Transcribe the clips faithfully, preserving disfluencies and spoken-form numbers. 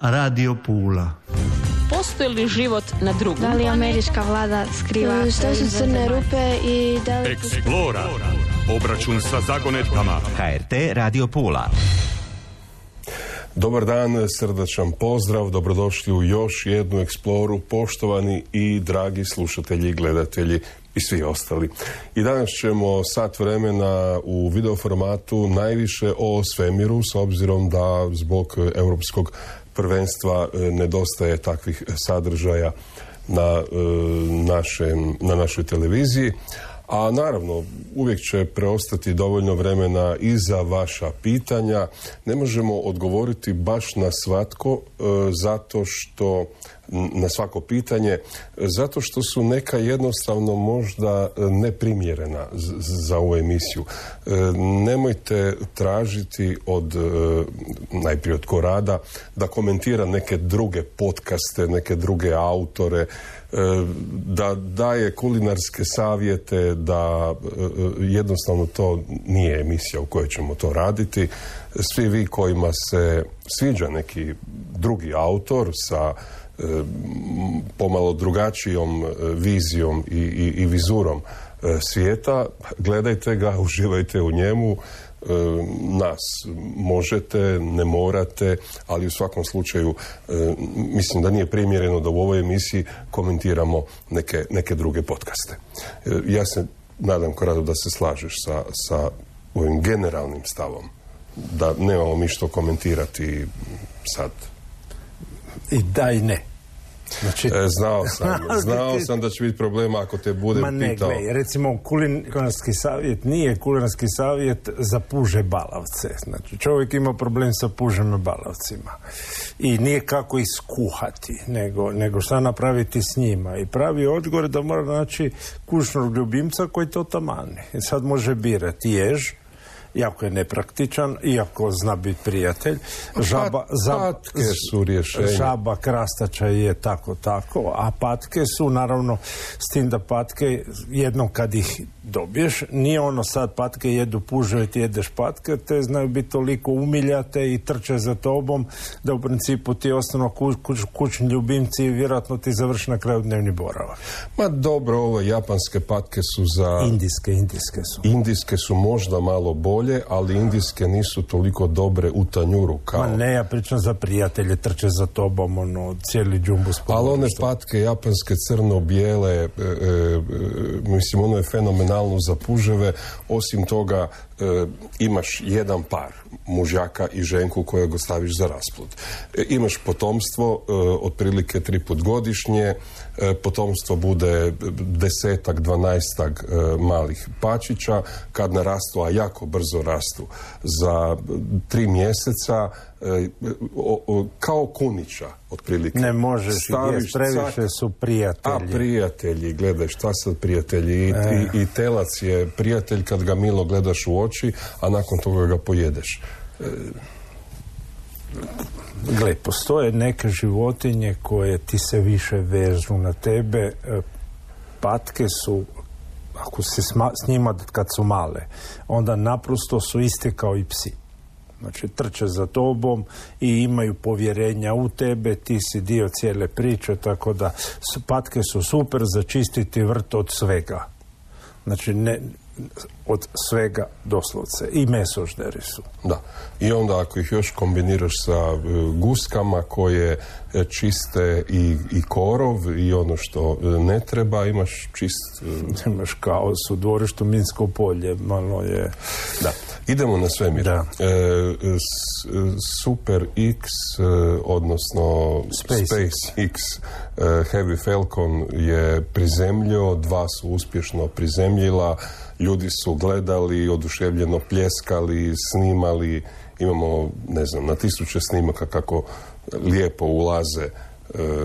Radio Pula. Postoji li život na drugom? Da li američka vlada skriva? Što su crne rupe i da li... Explora. Obračun sa zagonetkama. H R T Radio Pula. Dobar dan, srdačan pozdrav, dobrodošli u još jednu Exploru, poštovani i dragi slušatelji, gledatelji i svi ostali. I danas ćemo sat vremena u video formatu najviše o svemiru, s obzirom da zbog europskog prvenstva nedostaje takvih sadržaja na, našem, na našoj televiziji. A naravno, uvijek će preostati dovoljno vremena i za vaša pitanja. Ne možemo odgovoriti baš na svatko, e, zato što, na svako pitanje, zato što su neka jednostavno možda neprimjerena z- za ovu emisiju. E, nemojte tražiti od, e, najprije od Korada, da komentira neke druge podcaste, neke druge autore, da daje kulinarske savjete, da jednostavno to nije emisija u kojoj ćemo to raditi. Svi vi kojima se sviđa neki drugi autor sa pomalo drugačijom vizijom i, i, i vizurom svijeta, gledajte ga, uživajte u njemu. Nas možete, ne morate, ali u svakom slučaju mislim da nije primjereno da u ovoj emisiji komentiramo neke, neke druge podcaste. Ja se nadam, Korado, da se slažeš sa, sa ovim generalnim stavom, da nemamo mi što komentirati sad. I da i ne. Znači, e, znao sam, znao sam da će biti problema ako te budem ma ne, pitao. Glej, recimo, kulinarski savjet nije kulinarski savjet za puže balavce. Znači, čovjek ima problem sa pužem balavcima. I nije kako iskuhati, nego, nego šta napraviti s njima. I pravi odgovor da mora naći kućnog ljubimca koji to tamani. I sad može birati jež, jako je nepraktičan, iako zna biti prijatelj. Žaba, za, patke su rješenje. Žaba krastača je tako, tako, a patke su, naravno, s tim da patke, jednom kad ih dobiješ, nije ono sad patke jedu puže i ti jedeš patke, te znaju biti toliko umiljate i trče za tobom, da u principu ti ostanu kuć, kuć, kućni ljubimci i vjerojatno ti završi na kraju dnevni boravak. Ma dobro, ove japanske patke su za... Indijske, indijske su. Indijske su možda malo bolje, ali indijske nisu toliko dobre u tanjuru kao... Ma ne, ja pričam za prijatelje, trče za tobom, ono, cijeli džumbus. Ali one patke japanske crno-bijele, e, e, mislim, ono je fenomenalno za puževe. Osim toga, e, imaš jedan par, mužjaka i ženku kojeg ostaviš za rasplod. E, imaš potomstvo, e, otprilike tri put godišnje, e, potomstvo bude desetak, dvanaestak e, malih pačića, kad narastu, a jako brzo rastu, za tri mjeseca, e, o, o, kao kunića, otprilike. Ne možeš, jest, previše cak, su prijatelji. A prijatelji, gledaj, šta sad prijatelji? I, e. i, i telac je prijatelj kad ga milo gledaš u oči, a nakon toga ga pojedeš. E. Gle, postoje neke životinje koje ti se više vežu na tebe. Patke su, ako si s njima kad su male, onda naprosto su iste kao i psi. Znači, trče za tobom i imaju povjerenja u tebe, ti si dio cijele priče, tako da patke su super za čistiti vrt od svega. Znači, ne, od svega doslovce. I mesožderi su. Da. I onda ako ih još kombiniraš sa uh, guskama koje uh, čiste i, i korov i ono što uh, ne treba, imaš čist... Uh... Imaš kaos u dvorištu, Minsko polje, malo je... Da. Idemo na svemir. Da. E, s, Super X, e, odnosno Space, Space X, e, Heavy Falcon je prizemljio, dva su uspješno prizemljila, ljudi su gledali, oduševljeno pljeskali, snimali, imamo, ne znam, na tisuće snimaka kako lijepo ulaze e,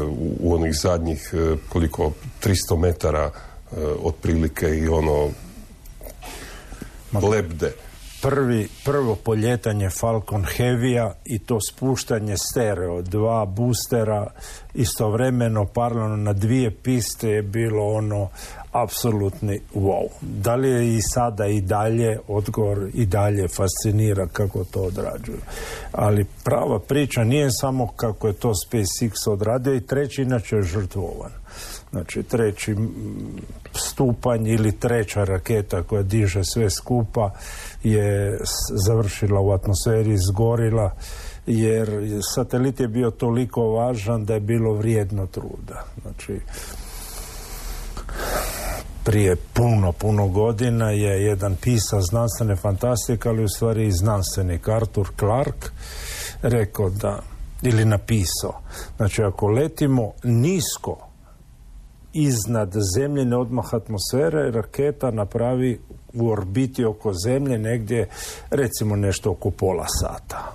u, u onih zadnjih, e, koliko, tristo metara e, otprilike i ono lebde. Prvi, prvo poljetanje Falcon Heavy-a i to spuštanje stereo, dva boostera istovremeno paralelno na dvije piste je bilo ono apsolutni wow. Da li je i sada i dalje, odgovor i dalje fascinira kako to odrađuju. Ali prava priča nije samo kako je to SpaceX odradio, i treći inače je žrtvovan. Znači treći stupanj ili treća raketa koja diže sve skupa je završila u atmosferi, izgorila, jer satelit je bio toliko važan da je bilo vrijedno truda. Znači prije puno, puno godina je jedan pisac znanstvene fantastike, ali u stvari i znanstvenik Arthur Clarke rekao da, ili napisao, znači ako letimo nisko iznad zemljine odmah atmosfere, raketa napravi u orbiti oko zemlje negdje recimo nešto oko pola sata.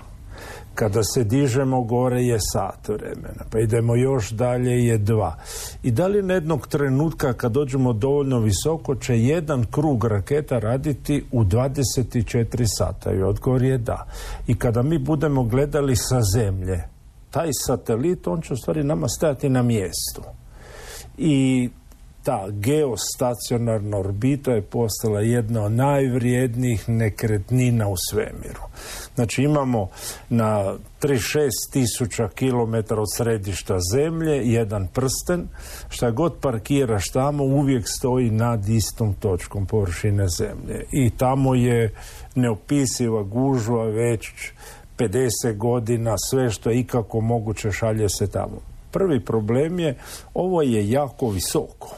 Kada se dižemo gore je sat vremena, pa idemo još dalje je dva. I da li na jednog trenutka kad dođemo dovoljno visoko će jedan krug raketa raditi u dvadeset četiri sata? I odgovor je da. I kada mi budemo gledali sa zemlje, taj satelit, on će u stvari nama stajati na mjestu. I ta geostacionarna orbita je postala jedna od najvrijednijih nekretnina u svemiru. Znači imamo na trideset šest tisuća kilometara od središta Zemlje jedan prsten, šta god parkiraš tamo uvijek stoji nad istom točkom površine Zemlje. I tamo je neopisiva gužva već pedeset godina, sve što je ikako moguće šalje se tamo. Prvi problem je, ovo je jako visoko.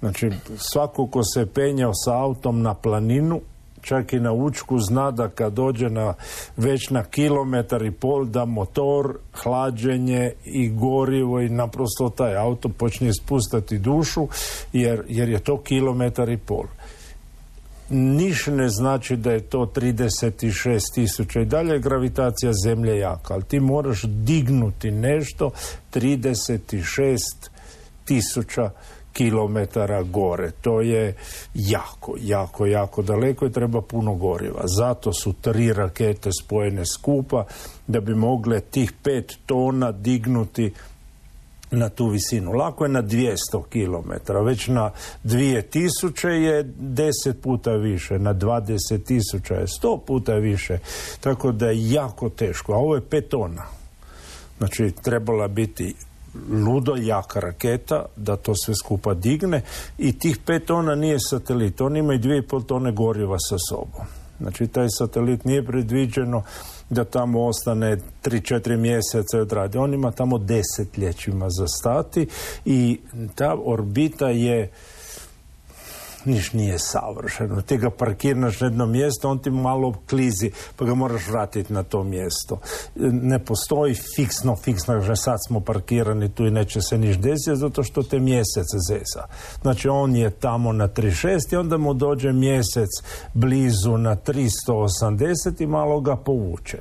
Znači, svako ko se penjao sa autom na planinu, čak i na Učku, zna da kad dođe na, već na kilometar i pol, da motor, hlađenje i gorivo i naprosto taj auto počne spustati dušu, jer, jer je to kilometar i pol. Niš ne znači da je to trideset šest tisuća, i dalje je gravitacija Zemlje jaka, ali ti moraš dignuti nešto trideset šest tisuća kilometara gore. To je jako, jako, jako daleko i treba puno goriva. Zato su tri rakete spojene skupa da bi mogle tih pet tona dignuti na tu visinu. Lako je na dvjesto kilometara, već na dvije tisuće je deset puta više, na dvadeset tisuća je sto puta više, tako da je jako teško. A ovo je pet tona. Znači, trebala biti ludo jaka raketa da to sve skupa digne, i tih pet tona nije satelit, on ima i dvije i pol tone goriva sa sobom. Znači, taj satelit nije predviđeno da tamo ostane tri četiri mjeseca i odradi. On ima tamo desetljećima za stati, i ta orbita je, niš nije savršeno. Ti ga parkiraš na jedno mjesto, on ti malo klizi, pa ga moraš vratiti na to mjesto. Ne postoji fiksno, fiksno, že sad smo parkirani tu i neće se niš desiti, zato što te mjesec zeza. Znači, on je tamo na trideset šest i onda mu dođe mjesec blizu na tristo osamdeset i malo ga povuče.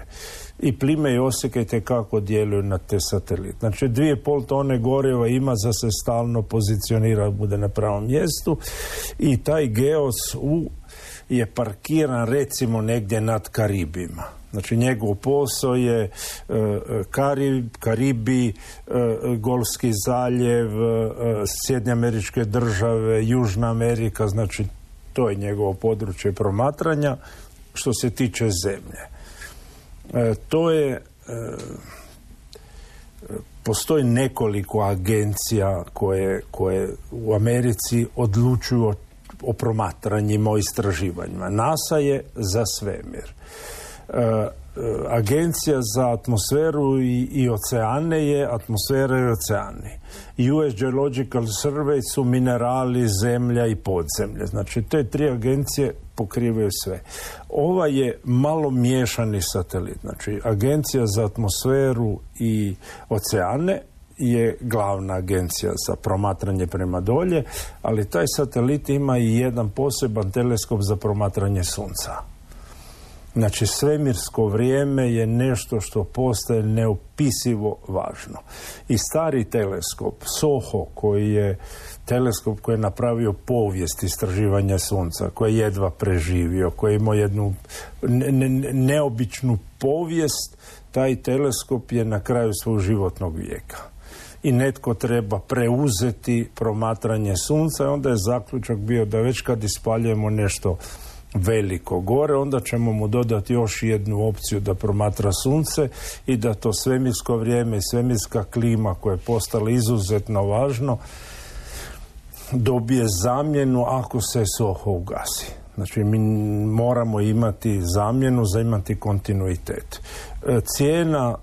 I plime i oseke kako djeluju na te satelite. Znači, dvije i pol tone goriva ima za se stalno pozicionira, bude na pravom mjestu, i taj Geos U je parkiran recimo negdje nad Karibima. Znači, njegov posao je e, Karib, Karibi, e, Golfski zaljev, e, Sjedinjene Američke Države, Južna Amerika, znači to je njegovo područje promatranja što se tiče Zemlje. E, to je, e, postoji nekoliko agencija koje, koje u Americi odlučuju o, o promatranjima, o istraživanjima. NASA je za svemir. E, Agencija za atmosferu i, i oceane je atmosfera i oceani. U S Geological Survey su minerali, zemlja i podzemlje. Znači, te tri agencije pokrivaju sve. Ova je malo miješani satelit. Znači, Agencija za atmosferu i oceane je glavna agencija za promatranje prema dolje, ali taj satelit ima i jedan poseban teleskop za promatranje Sunca. Znači, svemirsko vrijeme je nešto što postaje neopisivo važno. I stari teleskop, SOHO, koji je teleskop koji je napravio povijest istraživanja Sunca, koji je jedva preživio, koji je imao jednu ne, ne, neobičnu povijest, taj teleskop je na kraju svog životnog vijeka. i netko treba preuzeti promatranje sunca i onda je zaključak bio da već kad ispaljujemo nešto veliko gore, onda ćemo mu dodati još jednu opciju da promatra sunce i da to svemirsko vrijeme i svemirska klima koja je postala izuzetno važno dobije zamjenu ako se soho ugasi. Znači mi moramo imati zamjenu za imati kontinuitet. Cijena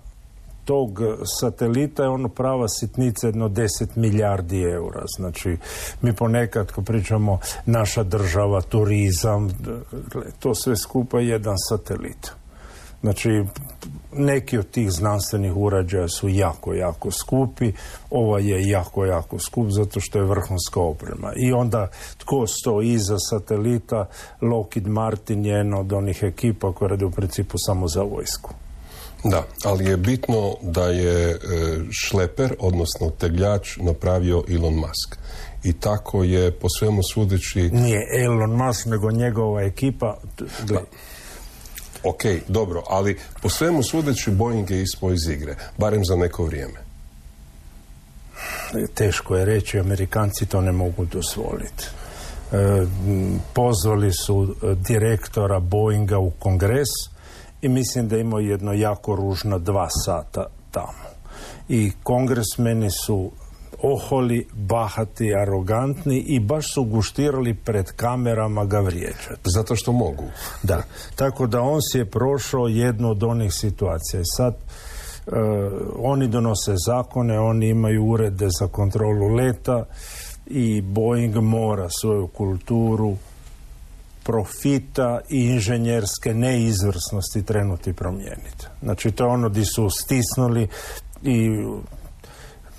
tog satelita je ono prava sitnica, jedno deset milijardi eura. Znači, mi ponekad, ko pričamo naša država, turizam, to sve skupa je jedan satelit. Znači, neki od tih znanstvenih uređaja su jako, jako skupi. Ova je jako, jako skup zato što je vrhunska oprema. I onda, tko stoji iza satelita? Lockheed Martin je jedna od onih ekipa koja radi u principu samo za vojsku. Da, ali je bitno da je e, šleper, odnosno tegljač, napravio Elon Musk. I tako je, po svemu sudeći... Nije Elon Musk, nego njegova ekipa. Gle. Ok, dobro, ali po svemu sudeći Boeing je ispao iz igre, barem za neko vrijeme. Teško je reći, Amerikanci to ne mogu dozvoliti. E, pozvali su direktora Boeinga u kongres i mislim da imao jedno jako ružno dva sata tamo. I kongresmeni su oholi, bahati, arogantni i baš su guštirali pred kamerama ga vrijeđati. Zato što mogu. Da, tako da on si je prošao jednu od onih situacija. I sad uh, oni donose zakone, oni imaju urede za kontrolu leta i Boeing mora svoju kulturu profita i inženjerske neizvrsnosti trenuti promijeniti. Znači to je ono di su stisnuli i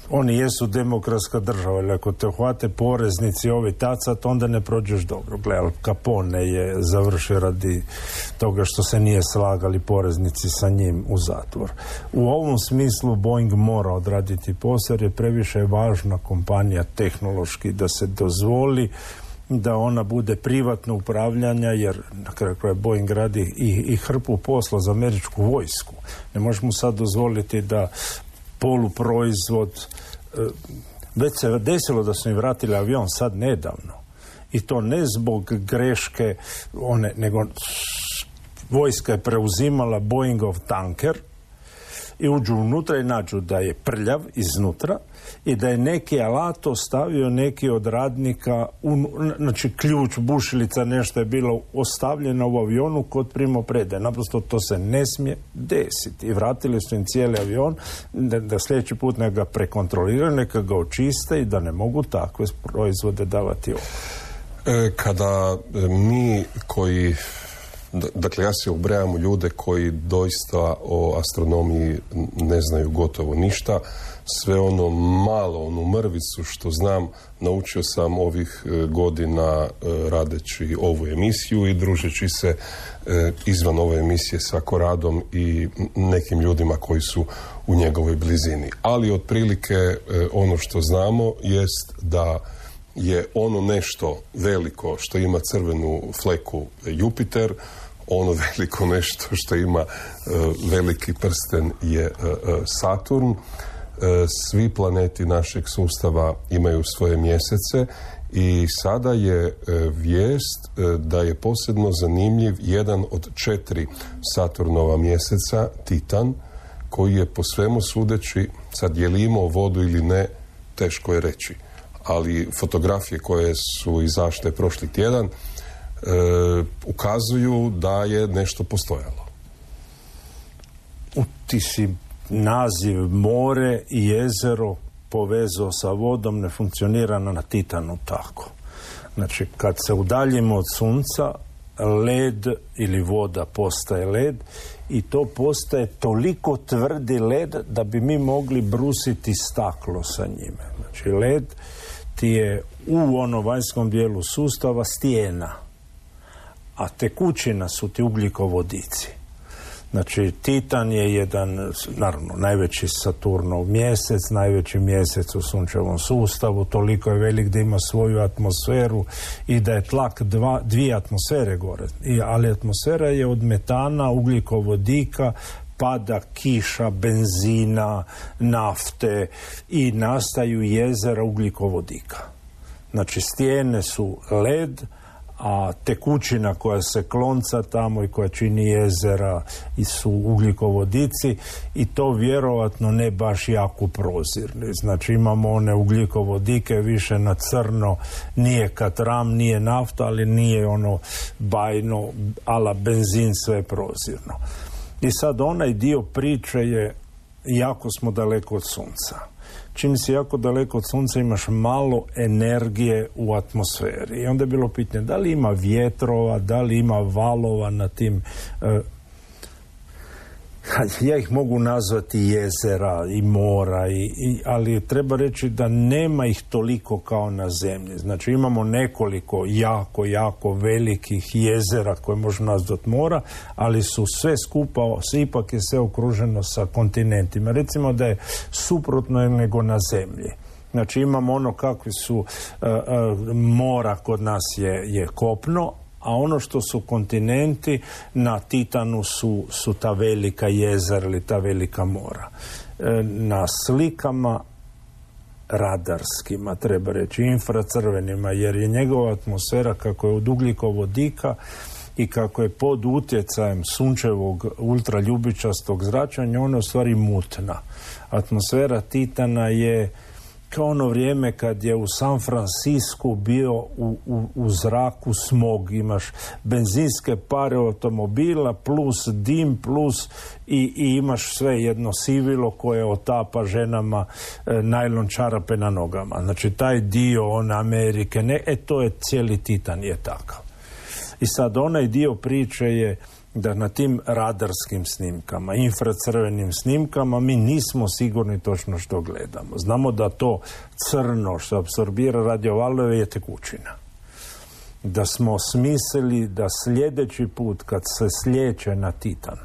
oni jesu demokratska država, ali ako te uhvate poreznici ovi tacat, onda ne prođeš dobro. Gle, Al Capone je završio radi toga što se nije slagali poreznici sa njim u zatvor. U ovom smislu Boeing mora odraditi posao jer je previše važna kompanija tehnološki da se dozvoli da ona bude privatno upravljanja, jer na kraju kraja Boeing radi i, i hrpu posla za američku vojsku. Ne možemo sad dozvoliti da poluproizvod, već se desilo da su im vratili avion sad nedavno i to ne zbog greške one, nego vojska je preuzimala Boeingov tanker i uđu unutra i nađu da je prljav iznutra i da je neki alat ostavio neki od radnika, un, znači ključ, bušilica, nešto je bilo ostavljeno u avionu kod primopredaje. Naprosto to se ne smije desiti. I vratili su im cijeli avion da, da sljedeći put neka ga prekontroliraju, neka ga očiste i da ne mogu takve proizvode davati ovdje. E, kada mi koji... Dakle, ja se ubrajam u ljude koji doista o astronomiji ne znaju gotovo ništa. Sve ono malo, onu mrvicu što znam, naučio sam ovih godina radeći ovu emisiju i družeći se izvan ove emisije sa Koradom i nekim ljudima koji su u njegovoj blizini. Ali otprilike ono što znamo jest da je ono nešto veliko što ima crvenu fleku Jupiter, ono veliko nešto što ima uh, veliki prsten je uh, Saturn. Uh, svi planeti našeg sustava imaju svoje mjesece i sada je uh, vijest uh, da je posebno zanimljiv jedan od četiri Saturnova mjeseca, Titan, koji je po svemu sudeći, sad je li imao vodu ili ne, teško je reći. Ali fotografije koje su izašle prošli tjedan E, ukazuju da je nešto postojalo. Ti si naziv more i jezero povezao sa vodom, ne funkcionira na Titanu tako. Znači, kad se udaljimo od sunca, led ili voda postaje led i to postaje toliko tvrdi led da bi mi mogli brusiti staklo sa njime. Znači, led ti je u onom vanjskom dijelu sustava stijena, a tekućina su ti ugljikovodici. Znači, Titan je jedan, naravno, najveći Saturnov mjesec, najveći mjesec u sunčevom sustavu, toliko je velik da ima svoju atmosferu i da je tlak dva, dvije atmosfere gore. I, ali atmosfera je od metana, ugljikovodika, pada kiša, benzina, nafte i nastaju jezera ugljikovodika. Znači stijene su led, a tekućina koja se klonca tamo i koja čini jezera i su ugljikovodici i to vjerovatno ne baš jako prozirni. Znači imamo one ugljikovodike više na crno, nije katram, nije nafta, ali nije ono bajno, ala benzin, sve prozirno. I sad onaj dio priče je jako smo daleko od sunca. Čim si jako daleko od sunca imaš malo energije u atmosferi. I onda je bilo pitanje da li ima vjetrova, da li ima valova na tim... Uh, ja ih mogu nazvati jezera i mora, i, i, ali treba reći da nema ih toliko kao na zemlji. Znači imamo nekoliko jako, jako velikih jezera koje možemo nazvati mora, ali su sve skupa, ipak je sve okruženo sa kontinentima. Recimo da je suprotno nego na zemlji. Znači imamo ono kakvi su uh, uh, mora kod nas je, je kopno, a ono što su kontinenti na Titanu su, su ta velika jezera ili ta velika mora. E, na slikama radarskima, treba reći, infracrvenima, jer je njegova atmosfera kako je od ugljikovodika i kako je pod utjecajem sunčevog ultraljubičastog zračenja, ona je u stvari mutna. Atmosfera Titana je kao ono vrijeme kad je u San Francisku bio u, u, u zraku smog. Imaš benzinske pare automobila plus dim plus i, i imaš sve jedno sivilo koje otapa ženama e, najlon čarape na nogama. Znači taj dio on Amerike, ne, e to je cijeli Titan je takav. I sad onaj dio priče je da na tim radarskim snimkama, infracrvenim snimkama, mi nismo sigurni točno što gledamo. Znamo da to crno što apsorbira radiovalove je tekućina. Da smo smislili da sljedeći put kad se slijeće na Titan,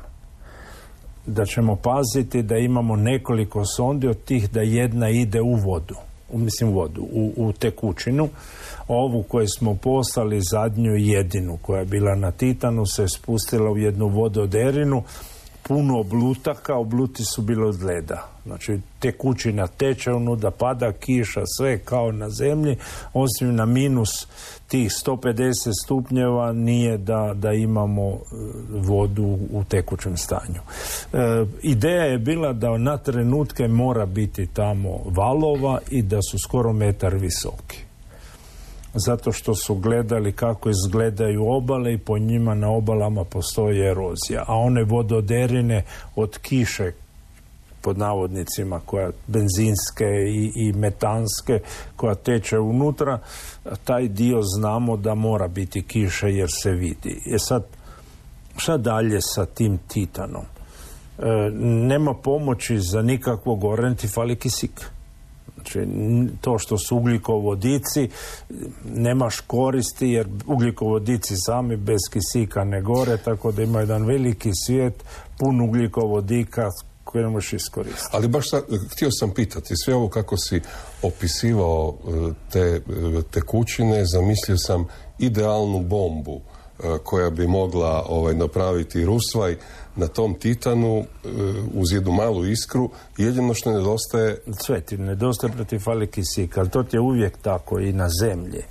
da ćemo paziti da imamo nekoliko sondi od tih da jedna ide u vodu, u, mislim vodu, u, u tekućinu. Ovu koju smo poslali zadnju jedinu koja je bila na Titanu se spustila u jednu vododerinu, puno oblutaka, obluti su bili od leda. Znači tekućina teče unuda, pada kiša, sve kao na zemlji, osim na minus tih sto pedeset stupnjeva nije da, da imamo vodu u tekućem stanju. E, ideja je bila da na trenutke mora biti tamo valova i da su skoro metar visoki. Zato što su gledali kako izgledaju obale i po njima na obalama postoji erozija. A one vododerine od kiše, pod navodnicima, koja benzinske i, i metanske, koja teče unutra, taj dio znamo da mora biti kiše jer se vidi. E sad, šta dalje sa tim Titanom? E, nema pomoći za nikakvo gorenje, ti fali kisik. Znači, to što su ugljikovodici, nemaš koristi jer ugljikovodici sami bez kisika ne gore, tako da ima jedan veliki svijet pun ugljikovodika koje ne možeš iskoristiti. Ali baš sad, htio sam pitati, sve ovo kako si opisivao te tekućine, zamislio sam idealnu bombu koja bi mogla ovaj, napraviti rusvaj na tom Titanu uz jednu malu iskru. Jedino što nedostaje... Sve ti nedostaje protiv fali kisika, ali to ti je uvijek tako i na zemlji.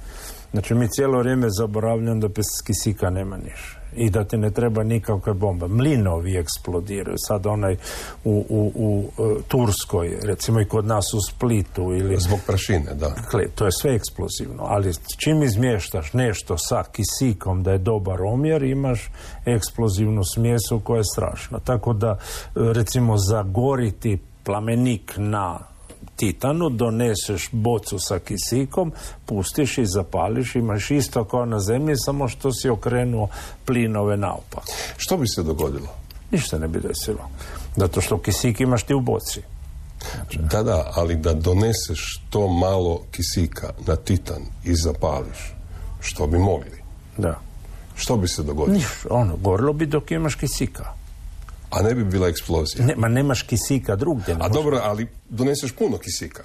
Znači mi cijelo vrijeme zaboravljamo da bez kisika nema niš. I da ti ne treba nikakve bomba. Mlinovi eksplodiraju. Sad onaj u, u, u Turskoj, recimo i kod nas u Splitu. Ili, zbog prašine, da. Dakle, to je sve eksplozivno. Ali čim izmještaš nešto sa kisikom da je dobar omjer, imaš eksplozivnu smjesu koja je strašna. Tako da, recimo, zagoriti plamenik na Titanu, doneseš bocu sa kisikom, pustiš i zapališ, imaš isto kao na zemlji, samo što si okrenuo plinove naopak. Što bi se dogodilo? Ništa ne bi desilo. Zato što kisik imaš ti u boci. Znači... Da, da, ali da doneseš to malo kisika na Titan i zapališ, što bi mogli? Da. Što bi se dogodilo? Ništa, ono, gorilo bi dok imaš kisika. A ne bi bila eksplozija? Ne, ma nemaš kisika drugdje. Ne A može... dobro, ali doneseš puno kisika.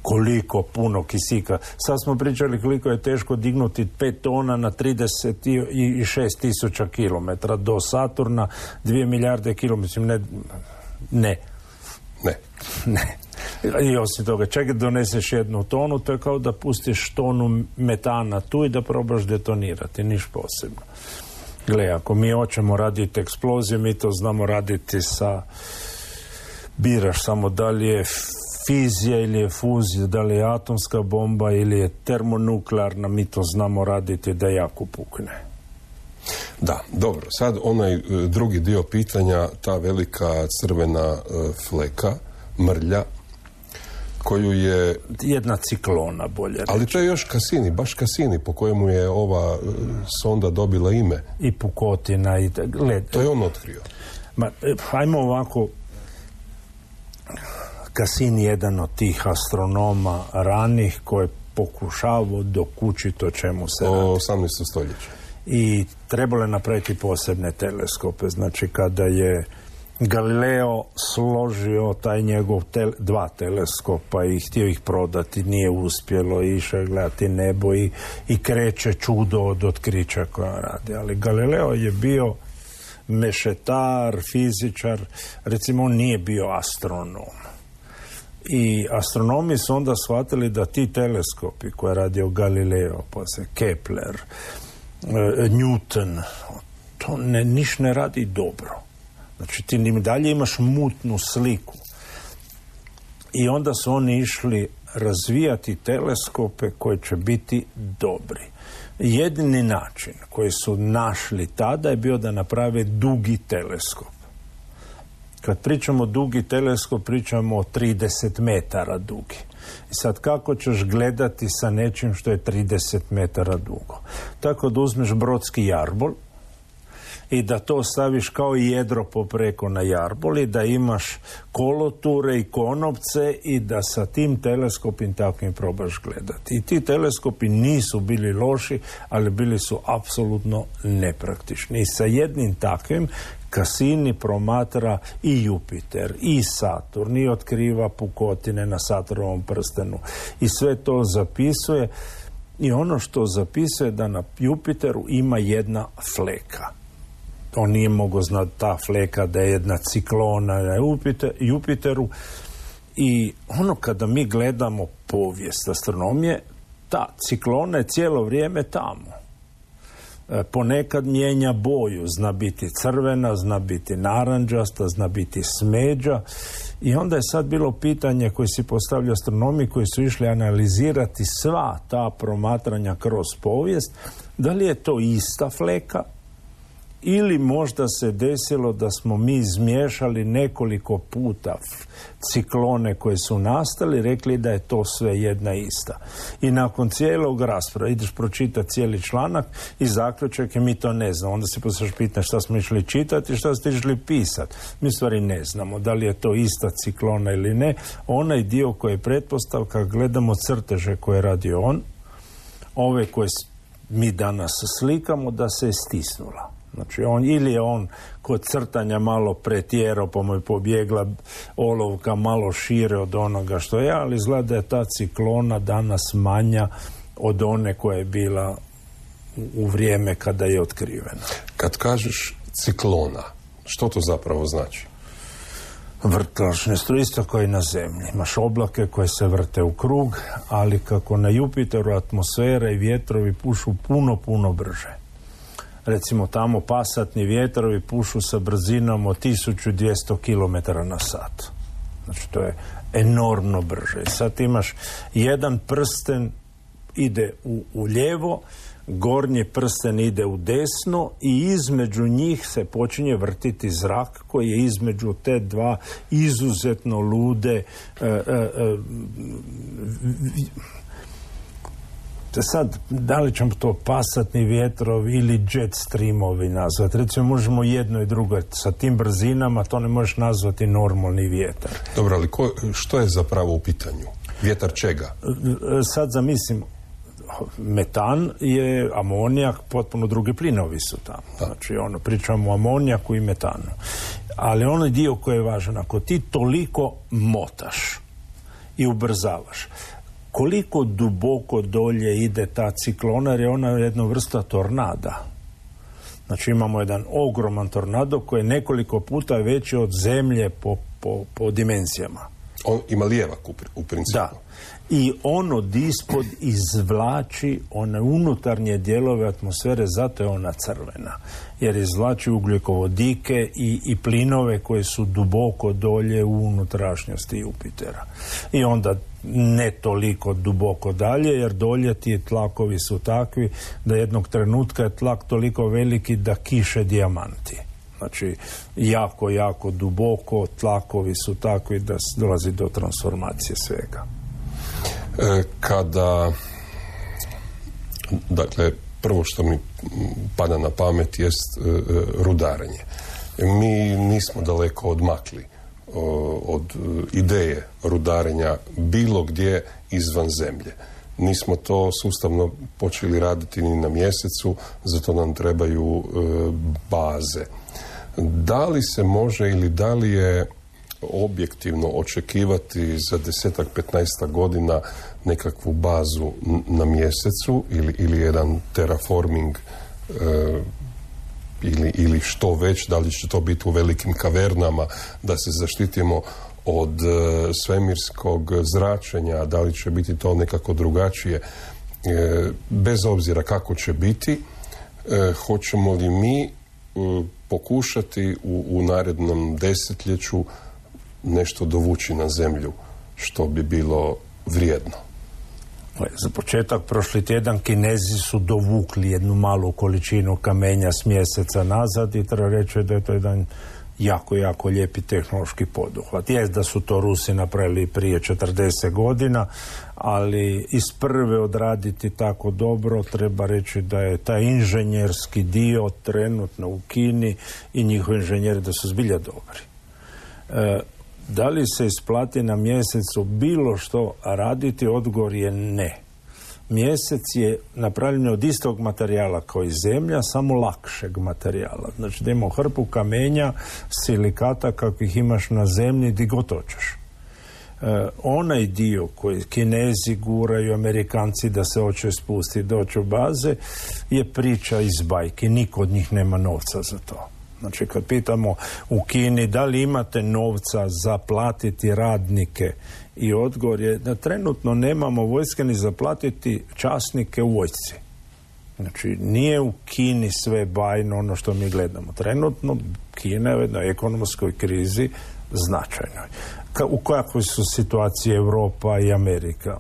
koliko puno kisika. Sad smo pričali koliko je teško dignuti pet tona na trideset šest tisuća kilometara do Saturna, dvije milijarde kilometara. Ne, ne. Ne. Ne. I osim toga, čak doneseš jednu tonu, to je kao da pustiš tonu metana tu i da probaš detonirati, niš posebno. Gle, ako mi hoćemo raditi eksplozije, mi to znamo raditi sa, biraš samo da li je fizija ili je fuzija, da li je atomska bomba ili je termonuklearna, mi to znamo raditi da jako pukne. Da, dobro. Sad onaj e, drugi dio pitanja, ta velika crvena e, fleka, mrlja, koju je... Jedna ciklona, bolje reći. Ali to je još Cassini, baš Cassini, po kojemu je ova e, sonda dobila ime. I pukotina. I, gled, to je on otkrio. Ma, hajmo ovako... Cassini je jedan od tih astronoma ranih koji je pokušavao dokučiti o čemu se radi. O osamnaestom stoljeću. I trebalo je napraviti posebne teleskope. Znači, kada je Galileo složio taj njegov tel, dva teleskopa i htio ih prodati, nije uspjelo, išao je gledati nebo i, i kreće čudo od otkrića koja radi. Ali Galileo je bio mešetar, fizičar, recimo on nije bio astronom. I astronomi su onda shvatili da ti teleskopi koje je radio Galileo, pa se Kepler, Newton, to ne, niš ne radi dobro. Znači ti ni dalje imaš mutnu sliku. I onda su oni išli razvijati teleskope koji će biti dobri. Jedini način koji su našli tada je bio da naprave dugi teleskop. Kad pričamo dugi teleskop, pričamo o trideset metara dugi. I sad kako ćeš gledati sa nečim što je trideset metara dugo? Tako da uzmeš brodski jarbol i da to staviš kao jedro popreko na jarbol i da imaš koloture i konopce i da sa tim teleskopim takvim probaš gledati. I ti teleskopi nisu bili loši, ali bili su apsolutno nepraktični. I sa jednim takvim Cassini promatra i Jupiter, i Saturn, i otkriva pukotine na Saturnovom prstenu. I sve to zapisuje. I ono što zapisuje da na Jupiteru ima jedna fleka. On nije mogao znati ta fleka da je jedna ciklona na Jupiter, Jupiteru. I ono kada mi gledamo povijest astronomije, ta ciklona je cijelo vrijeme tamo. Ponekad mijenja boju, zna biti crvena, zna biti naranđasta, zna biti smeđa. I onda je sad bilo pitanje koje si postavljaju astronomi koji su išli analizirati sva ta promatranja kroz povijest, da li je to ista fleka ili možda se desilo da smo mi izmiješali nekoliko puta ciklone koje su nastali, rekli da je to sve jedna ista. I nakon cijelog rasprava ideš pročitati cijeli članak i zaključak je mi to ne znamo. Onda se poslije pita šta smo išli čitati i šta ste išli pisati. Mi stvari ne znamo da li je to ista ciklona ili ne. Onaj dio koji je pretpostavka, gledamo crteže koje je radio on, ove koje mi danas slikamo, da se je stisnula. Znači, on, ili je on kod crtanja malo pretjerao, pa mu je pobjegla olovka malo šire od onoga što je, ali izgleda da je ta ciklona danas manja od one koja je bila u vrijeme kada je otkrivena. Kad kažeš ciklona, što to zapravo znači? Vrtlačne struje, isto kao i na zemlji. Imaš oblake koje se vrte u krug, ali kako na Jupiteru atmosfera i vjetrovi pušu puno, puno brže. Recimo tamo pasatni vjetrovi pušu sa brzinom od tisuću dvjesto kilometara na sat. Znači to je enormno brže. Sad imaš jedan prsten ide u, u lijevo, gornji prsten ide u desno i između njih se počinje vrtiti zrak koji je između te dva izuzetno lude e, e, e, sad, da li ćemo to pasatni vjetrovi ili jet streamovi nazvati? Recimo, možemo jedno i drugo. Sa tim brzinama to ne možeš nazvati normalni vjetar. Dobro, ali ko, što je zapravo u pitanju? Vjetar čega? Sad zamislim, metan je amonijak, potpuno drugi plinovi su tamo. Da. Znači, ono, pričamo o amonijaku i metanu. Ali onaj dio koji je važan, ako ti toliko motaš i ubrzavaš. Koliko duboko dolje ide ta ciklona, jer je ona jedna vrsta tornada. Znači imamo jedan ogroman tornado koji je nekoliko puta veći od zemlje po, po, po dimenzijama. On ima lijevak u, u principu. Da. I on od ispod izvlači one unutarnje dijelove atmosfere, zato je ona crvena. Jer izvlači ugljikovodike i, i plinove koje su duboko dolje u unutrašnjosti Jupitera. I onda ne toliko duboko dalje, jer dolje ti tlakovi su takvi da jednog trenutka je tlak toliko veliki da kiše dijamanti. Znači, jako, jako duboko tlakovi su takvi da dolazi do transformacije svega. E, kada, dakle, prvo što mi pada na pamet jest e, rudarenje. Mi nismo daleko odmakli o, od ideje rudarenja bilo gdje izvan zemlje. Nismo to sustavno počeli raditi ni na mjesecu, zato nam trebaju e, baze. Da li se može ili da li je objektivno očekivati za desetak, petnaestak godina nekakvu bazu na mjesecu ili, ili jedan terraforming e, ili, ili što već, da li će to biti u velikim kavernama da se zaštitimo od e, svemirskog zračenja, da li će biti to nekako drugačije, e, bez obzira kako će biti, e, hoćemo li mi e, pokušati u, u narednom desetljeću nešto dovući na zemlju što bi bilo vrijedno. Za početak, prošli tjedan Kinezi su dovukli jednu malu količinu kamenja s mjeseca nazad i treba reći da je to jedan jako, jako lijepi tehnološki poduhvat. Jest da su to Rusi napravili prije četrdeset godina, ali iz prve odraditi tako dobro, treba reći da je taj inženjerski dio trenutno u Kini i njihovi inženjeri da su zbilja dobri. E, Da li se isplati na mjesecu bilo što raditi? Odgovor je ne. Mjesec je napravljen od istog materijala kao i zemlja, samo lakšeg materijala. Znači da imamo hrpu kamenja, silikata kakvih imaš na zemlji di god hoćeš. E, onaj dio koji Kinezi guraju, Amerikanci da se hoće spustiti, doći u baze, je priča iz bajke. Niko od njih nema novca za to. Znači, kad pitamo u Kini da li imate novca za platiti radnike, i odgovor je da trenutno nemamo vojske ni za platiti časnike u vojsci. Znači, nije u Kini sve bajno ono što mi gledamo. Trenutno Kina je u jednoj ekonomskoj krizi značajnoj. Ka, u kakvoj su situacije Europa i Amerika?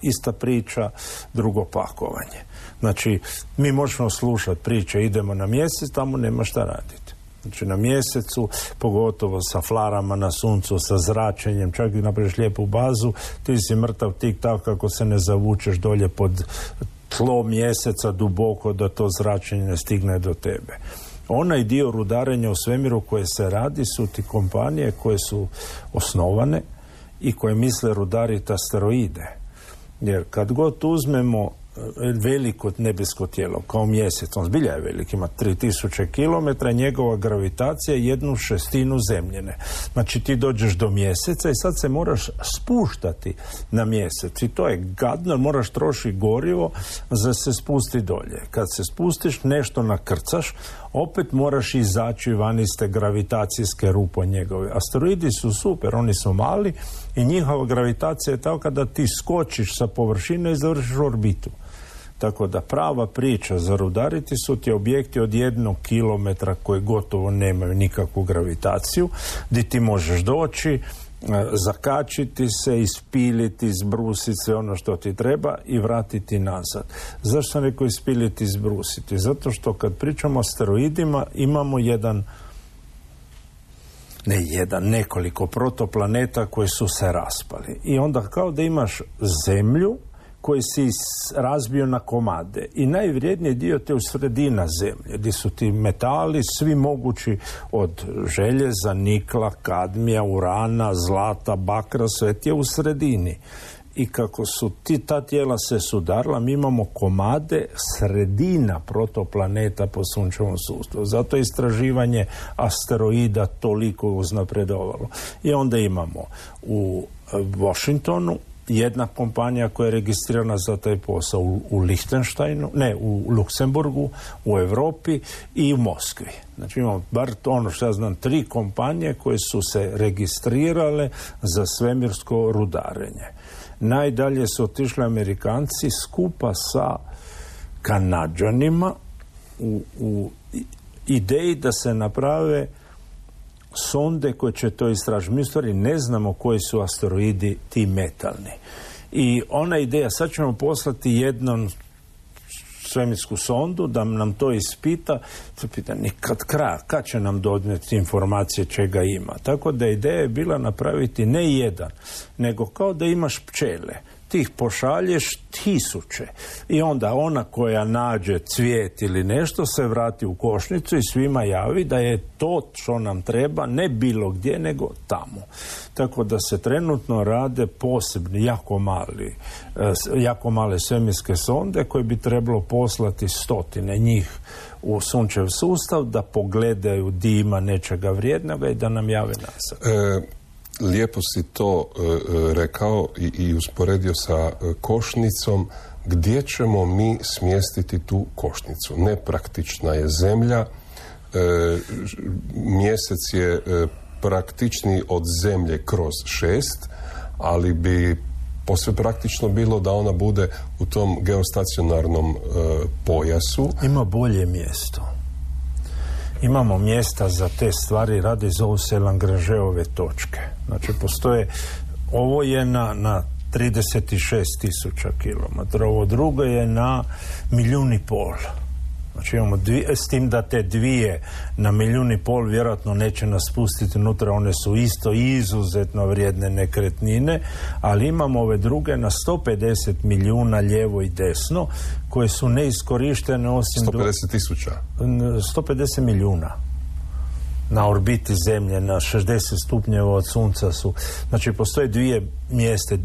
Ista priča, drugo pakovanje. Znači, mi možemo slušati priče, idemo na mjesec, tamo nema šta raditi. Znači, na mjesecu, pogotovo sa flarama na suncu, sa zračenjem, čak i napraviš lijepu bazu, ti si mrtav tik tak kako se ne zavučeš dolje pod tlo mjeseca duboko da to zračenje ne stigne do tebe. Onaj dio rudarenja u svemiru koje se radi su ti kompanije koje su osnovane i koje misle rudariti asteroide. Jer kad god uzmemo veliko nebesko tijelo, kao mjesec, on zbilja je velik, ima tri tisuće kilometra, njegova gravitacija je jednu šestinu zemljene. Znači ti dođeš do mjeseca i sad se moraš spuštati na mjesec. I to je gadno, moraš trošiti gorivo za se spusti dolje. Kad se spustiš, nešto nakrcaš, opet moraš izaći van iz te gravitacijske rupe njegove. Asteroidi su super, oni su mali i njihova gravitacija je tako da ti skočiš sa površine i završiš orbitu. Tako da prava priča za rudariti su ti objekti od jednog kilometra koji gotovo nemaju nikakvu gravitaciju, gdje ti možeš doći, zakačiti se, ispiliti, izbrusiti sve ono što ti treba i vratiti nazad. Zašto sam rekao ispiliti, izbrusiti? Zato što kad pričamo o asteroidima imamo jedan, ne jedan, nekoliko protoplaneta koji su se raspali. I onda kao da imaš zemlju koji si razbio na komade. I najvrijedniji dio te u sredina zemlje, gdje su ti metali svi mogući od željeza, nikla, kadmija, urana, zlata, bakra, sve ti je u sredini. I kako su ti ta tijela se sudarila, mi imamo komade sredina protoplaneta po sunčevom sustavu. Zato je istraživanje asteroida toliko uznapredovalo. I onda imamo u Washingtonu, jedna kompanija koja je registrirana za taj posao u, u Lichtensteinu, ne, u Luksemburgu, u Europi i u Moskvi. Znači imamo bar ono što ja znam, tri kompanije koje su se registrirale za svemirsko rudarenje. Najdalje su otišli Amerikanci skupa sa Kanađanima u, u ideji da se naprave sonde koje će to istražiti. Mi u stvari ne znamo koji su asteroidi ti metalni. I ona ideja, sad ćemo poslati jednu svemirsku sondu da nam to ispita, to pita nikad kraja, kad će nam donijeti informacije čega ima. Tako da ideja je bila napraviti ne jedan, nego kao da imaš pčele. Ti ih pošalješ tisuće i onda ona koja nađe cvijet ili nešto se vrati u košnicu i svima javi da je to što nam treba ne bilo gdje nego tamo. Tako da se trenutno rade posebni, jako mali, jako male svemirske sonde koje bi trebalo poslati stotine njih u sunčev sustav da pogledaju di ima nečega vrijednoga i da nam jave nazad. E... Lijepo si to e, rekao i, i usporedio sa e, košnicom. Gdje ćemo mi smjestiti tu košnicu? Nepraktična je zemlja, e, mjesec je e, praktičniji od zemlje kroz šest, ali bi posve praktično bilo da ona bude u tom geostacionarnom e, pojasu. Ima bolje mjesto. Imamo mjesta za te stvari, radi zovu se Lagrangeove točke. Znači, postoje, ovo je na, na trideset šest tisuća kilometara, ovo drugo je na milijun i pol. Znači, imamo dvije, s tim da te dvije na milijun i pol vjerojatno neće nas spustiti unutra, one su isto izuzetno vrijedne nekretnine, ali imamo ove druge na sto pedeset milijuna lijevo i desno, koje su neiskorištene osim... sto pedeset tisuća? sto pedeset milijuna. Na orbiti Zemlje, na šezdeset stupnjeva od Sunca su. Znači, postoje dvije mjeste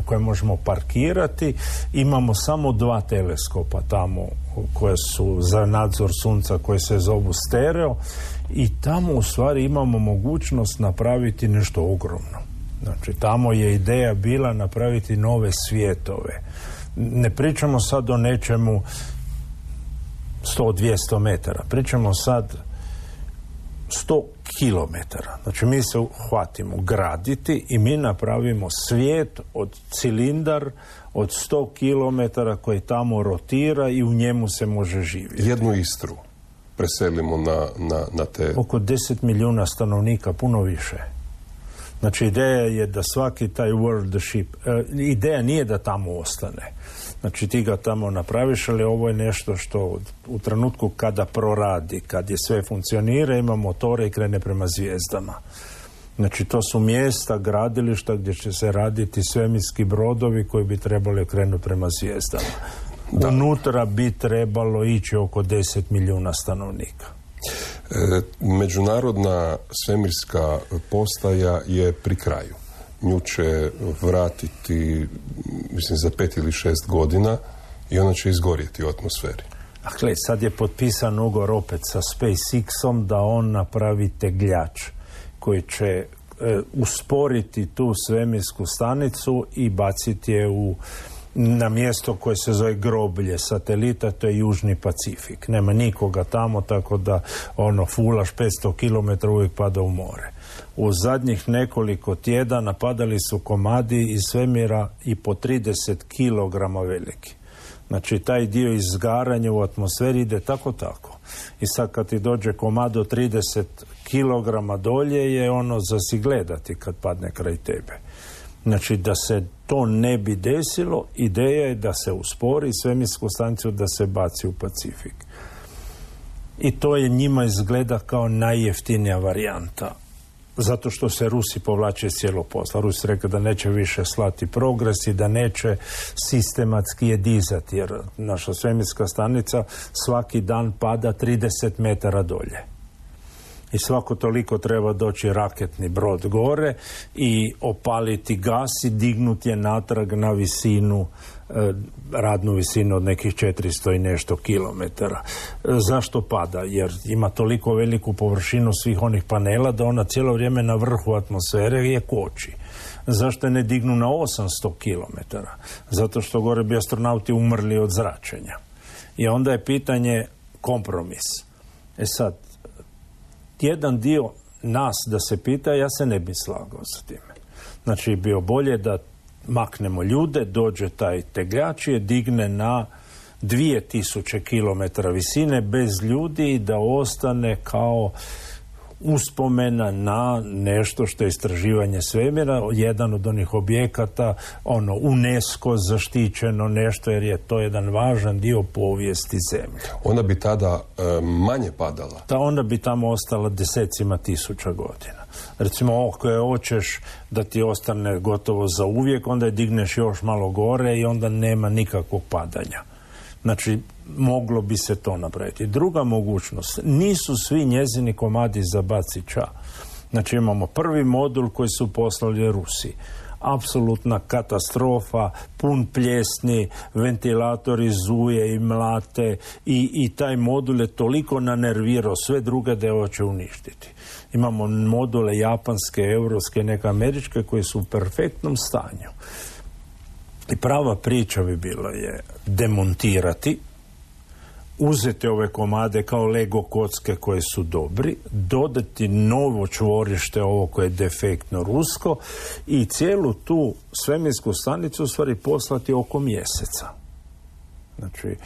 koje možemo parkirati. Imamo samo dva teleskopa tamo koje su za nadzor Sunca, koje se zovu stereo. I tamo u stvari imamo mogućnost napraviti nešto ogromno. Znači, tamo je ideja bila napraviti nove svijetove. Ne pričamo sad o nečemu sto do dvjesto metara. Pričamo sad sto kilometara. Znači mi se hvatimo graditi i mi napravimo svijet od cilindar od sto kilometara koji tamo rotira i u njemu se može živjeti. Jednu Istru preselimo na, na, na te... Oko deset milijuna stanovnika, puno više. Znači ideja je da svaki taj world ship, e, ideja nije da tamo ostane. Znači ti ga tamo napraviš, ali ovo je nešto što u trenutku kada proradi, kad je sve funkcionira, ima motore i krene prema zvijezdama. Znači to su mjesta, gradilišta gdje će se raditi svemirski brodovi koji bi trebali krenuti prema zvijezdama. Da. Unutra bi trebalo ići oko deset milijuna stanovnika. E, međunarodna svemirska postaja je pri kraju. Nju će vratiti, mislim, za pet ili šest godina i ona će izgorjeti u atmosferi. Dakle, sad je potpisan ugovor opet sa SpaceX-om da on napravi tegljač koji će e, usporiti tu svemirsku stanicu i baciti je u na mjesto koje se zove groblje satelita, to je Južni Pacifik. Nema nikoga tamo, tako da ono, fulaš petsto kilometara uvijek pada u more. U zadnjih nekoliko tjedana padali su komadi iz svemira i po trideset kilograma veliki. Znači, taj dio izgaranja u atmosferi ide tako tako. I sad kad ti dođe komad od trideset kilograma dolje je ono za si gledati kad padne kraj tebe. Znači, da se to ne bi desilo, ideja je da se uspori svemirsku stanicu, da se baci u Pacifik. I to je njima izgleda kao najjeftinija varijanta. Zato što se Rusi povlače iz cijelog posla. Rusi rekao da neće više slati progres i da neće sistematski je dizati, jer naša svemirska stanica svaki dan pada trideset metara dolje. I svako toliko treba doći raketni brod gore i opaliti gas i dignuti je natrag na visinu, eh, radnu visinu od nekih četiristo i nešto kilometara. E, zašto pada? Jer ima toliko veliku površinu svih onih panela da ona cijelo vrijeme na vrhu atmosfere je koči. Zašto je ne dignu na osamsto kilometara? Zato što gore bi astronauti umrli od zračenja. I onda je pitanje kompromis. E sad, jedan dio nas da se pita, ja se ne bi slagao sa time. Znači, bio bolje da maknemo ljude, dođe taj tegljač i digne na dvije tisuće kilometara visine bez ljudi i da ostane kao uspomena na nešto što je istraživanje svemira, jedan od onih objekata, ono UNESCO zaštićeno nešto, jer je to jedan važan dio povijesti zemlje. Ona bi tada e, manje padala? Ta onda bi tamo ostala desecima tisuća godina. Recimo, ako je hoćeš da ti ostane gotovo za uvijek, onda je digneš još malo gore i onda nema nikakvog padanja. Znači, moglo bi se to napraviti. Druga mogućnost, nisu svi njezini komadi za bacića. Znači, imamo prvi modul koji su poslali Rusi. Apsolutna katastrofa, pun pljesni, ventilatori zuje i mlate i, i taj modul je toliko nanervirao sve druge da je hoće uništiti. Imamo module japanske, europske, neke američke koji su u perfektnom stanju. I prava priča bi bila je demontirati, uzeti ove komade kao Lego kocke koje su dobri, dodati novo čvorište, ovo koje je defektno rusko, i cijelu tu svemirsku stanicu u stvari poslati oko mjeseca. Znači,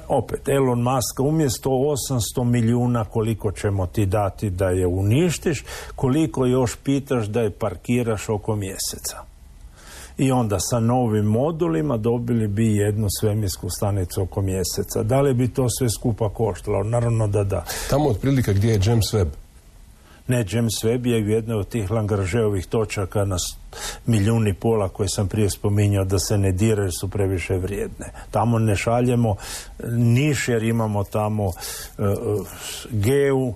opet, Elon Musk umjesto osamsto milijuna koliko ćemo ti dati da je uništiš, koliko još pitaš da je parkiraš oko mjeseca. I onda sa novim modulima dobili bi jednu svemirsku stanicu oko mjeseca. Da li bi to sve skupa koštalo? Naravno da da. Tamo otprilike gdje je James Webb? Ne, James Webb je u jednoj od tih Lagrangeovih točaka na milijun i pola koje sam prije spominjao da se ne diraju, su previše vrijedne. Tamo ne šaljemo niš jer imamo tamo uh, Geu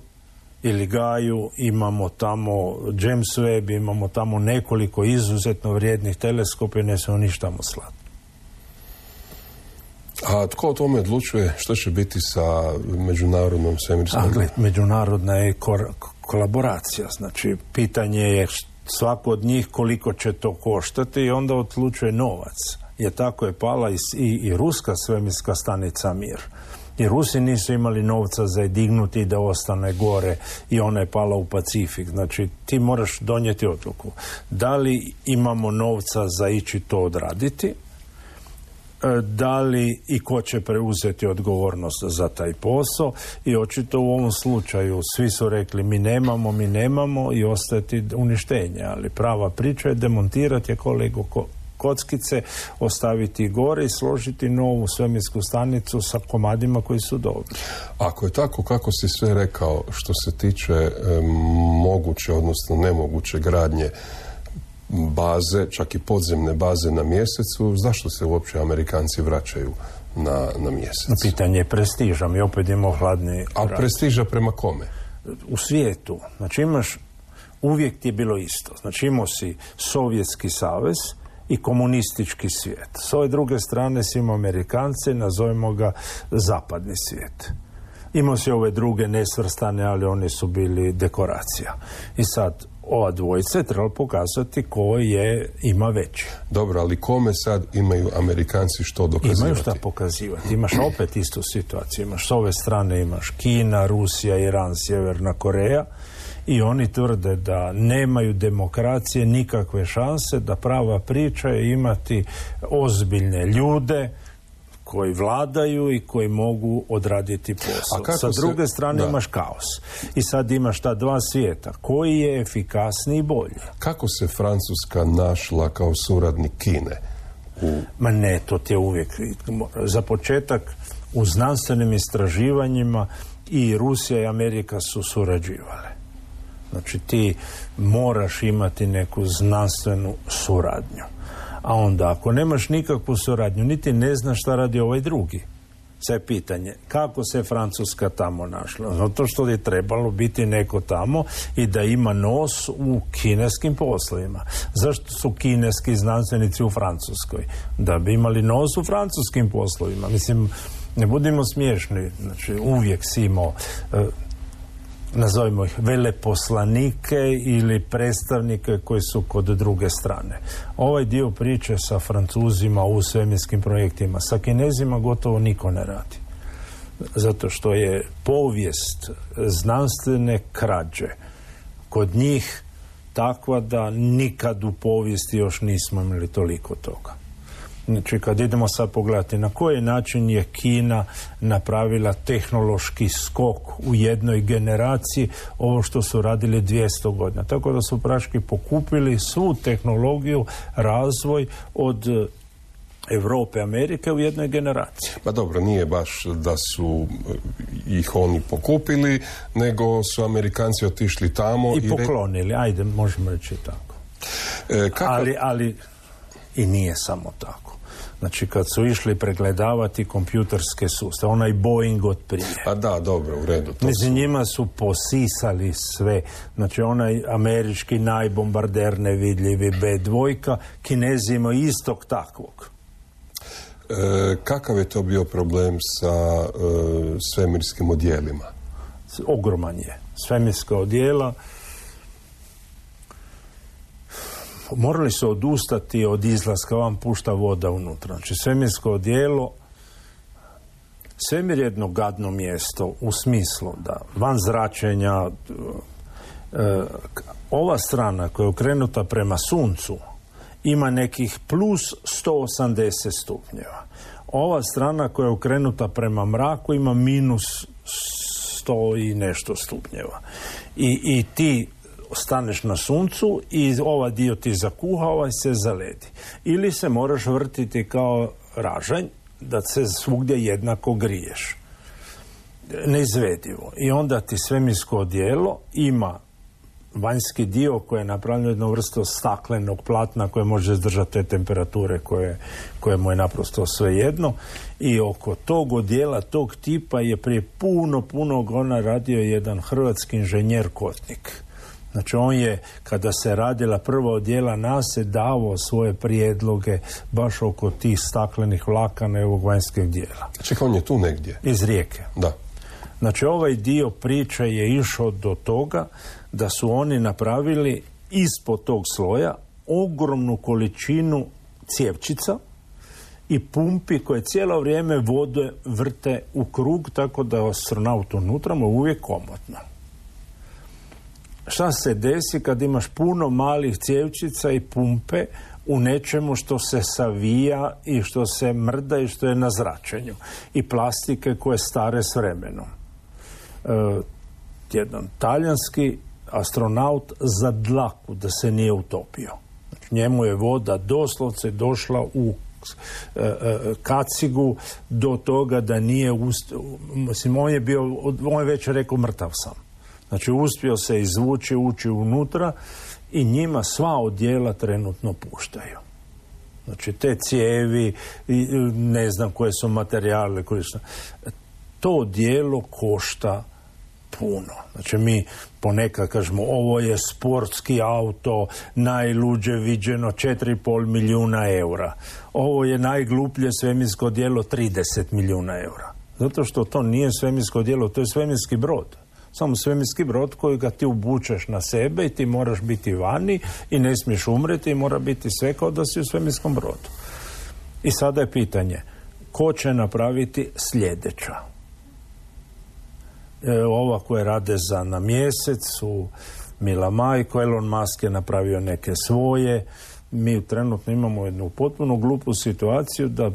ili Gaju, imamo tamo James Webb, imamo tamo nekoliko izuzetno vrijednih teleskopa i ne smemo ništa tamo slati. A tko o tome odlučuje što će biti sa međunarodnom svemirskom? A gled, međunarodna je kor- kolaboracija, znači pitanje je svako od njih koliko će to koštati i onda odlučuje novac. Jer tako je pala i, i, i ruska svemirska stanica Mir. I Rusi nisu imali novca za je dignuti da ostane gore i ona je pala u Pacifik. Znači, ti moraš donijeti odluku. Da li imamo novca za ići to odraditi? Da li i ko će preuzeti odgovornost za taj posao? I očito u ovom slučaju svi su rekli mi nemamo, mi nemamo i ostati uništenje. Ali prava priča je demontirati je kolegu ko kockice, ostaviti gore i složiti novu svemirsku stanicu sa komadima koji su dobri. Ako je tako kako si sve rekao što se tiče e, moguće, odnosno nemoguće gradnje baze, čak i podzemne baze na mjesecu, zašto se uopće Amerikanci vraćaju na, na mjesec? Pitanje je prestiža, mi opet imamo hladni A rat. prestiža prema kome? U svijetu. Znači imaš, uvijek ti je bilo isto. Znači imao si Sovjetski savez i komunistički svijet. S ove druge strane si imao Amerikance, nazovimo ga zapadni svijet. Imao si ove druge nesvrstane, ali oni su bili dekoracija. I sad, ova dvojica je trebalo pokazati ko je, ima veći. Dobro, ali kome sad imaju Amerikanci što dokazivati? Imaju šta pokazivati. Imaš opet istu situaciju. Imaš s ove strane, imaš Kina, Rusija, Iran, Sjeverna Koreja. I oni tvrde da nemaju demokracije, nikakve šanse, da prava priča je imati ozbiljne ljude koji vladaju i koji mogu odraditi posao. Sa druge se, strane da. imaš kaos. I sad imaš ta dva svijeta. Koji je efikasniji i bolji? Kako se Francuska našla kao suradnik Kine? U... Ma ne, to ti je uvijek. Za početak, u znanstvenim istraživanjima i Rusija i Amerika su surađivale. Znači ti moraš imati neku znanstvenu suradnju. A onda ako nemaš nikakvu suradnju, niti ne znaš šta radi ovaj drugi. Sve je pitanje, kako se Francuska tamo našla? Zato što je trebalo biti neko tamo i da ima nos u kineskim poslovima. Zašto su kineski znanstvenici u Francuskoj? Da bi imali nos u francuskim poslovima. Mislim, ne budimo smiješni. Znači, uvijek si imao... Uh, nazovimo ih veleposlanike ili predstavnike koji su kod druge strane. Ovaj dio priče sa Francuzima u svemirskim projektima, sa Kinezima gotovo niko ne radi. Zato što je povijest znanstvene krađe kod njih takva da nikad u povijesti još nismo imali toliko toga. Znači, kad idemo sad pogledati na koji način je Kina napravila tehnološki skok u jednoj generaciji, ovo što su radili dvjesto godina. Tako da su praški pokupili svu tehnologiju, razvoj od Europe, Amerike u jednoj generaciji. Pa dobro, nije baš da su ih oni pokupili, nego su Amerikanci otišli tamo i, i poklonili, re... ajde, možemo reći tako. E, kako... ali, ali i nije samo tako. Znači, kad su išli pregledavati kompjuterske sustave, onaj Boeing od prije. A da, dobro, u redu. Među su... njima su posisali sve. Znači, onaj američki najbombarder nevidljivi B dva, Kinezi imaju istog takvog. E, kakav je to bio problem sa e, svemirskim odjelima? Ogroman je. Svemirska odjela morali su odustati od izlaska, vam pušta voda unutra. Znači, svemirsko odjelo, svemir je jedno gadno mjesto u smislu da van zračenja e, ova strana koja je okrenuta prema suncu ima nekih plus sto osamdeset stupnjeva. Ova strana koja je okrenuta prema mraku ima minus sto i nešto stupnjeva. I, i ti staneš na suncu i ovaj dio ti zakuha, ovaj se zaledi. Ili se moraš vrtiti kao ražanj da se svugdje jednako griješ. Neizvedivo. I onda ti svemirsko odijelo ima vanjski dio koji je napravljeno jednu vrstu staklenog platna koje može izdržati te temperature koje, koje mu je naprosto svejedno. I oko tog odijela, tog tipa je prije puno, puno godina radio jedan hrvatski inženjer Kotnik. Znači, on je, kada se radila prva odjela nase, davao svoje prijedloge baš oko tih staklenih vlakana i ovog vanjskog dijela. Čekaj, on je tu negdje? Iz Rijeke. Da. Znači, ovaj dio priče je išao do toga da su oni napravili ispod tog sloja ogromnu količinu cjevčica i pumpi koje cijelo vrijeme vode vrte u krug, tako da astronaut unutra mu uvijek komotno. Šta se desi kad imaš puno malih cjevčica i pumpe u nečemu što se savija i što se mrda i što je na zračenju i plastike koje stare s vremenom. E, jedan talijanski astronaut za dlaku da se nije utopio. Znači, njemu je voda doslovce došla u e, e, kacigu do toga da nije ust... mislim, on je bio, on je već rekao mrtav sam. Znači, uspio se izvući, ući unutra i njima sva odjela trenutno puštaju. Znači, te cijevi, ne znam koje su materijale, koje su... To odjelo košta puno. Znači, mi ponekad kažemo, ovo je sportski auto, najluđe viđeno, četiri i pol milijuna eura. Ovo je najgluplje svemirsko odjelo, trideset milijuna eura. Zato što to nije svemirsko odjelo, to je svemirski brod. Samo svemirski brod koji ga ti obučeš na sebe i ti moraš biti vani i ne smiješ umreti i mora biti sve kao da si u svemirskom brodu. I sada je pitanje, ko će napraviti sljedeća? E, ova koja rade za na mjesec su Mila Majko, Elon Musk je napravio neke svoje. Mi trenutno imamo jednu potpuno glupu situaciju da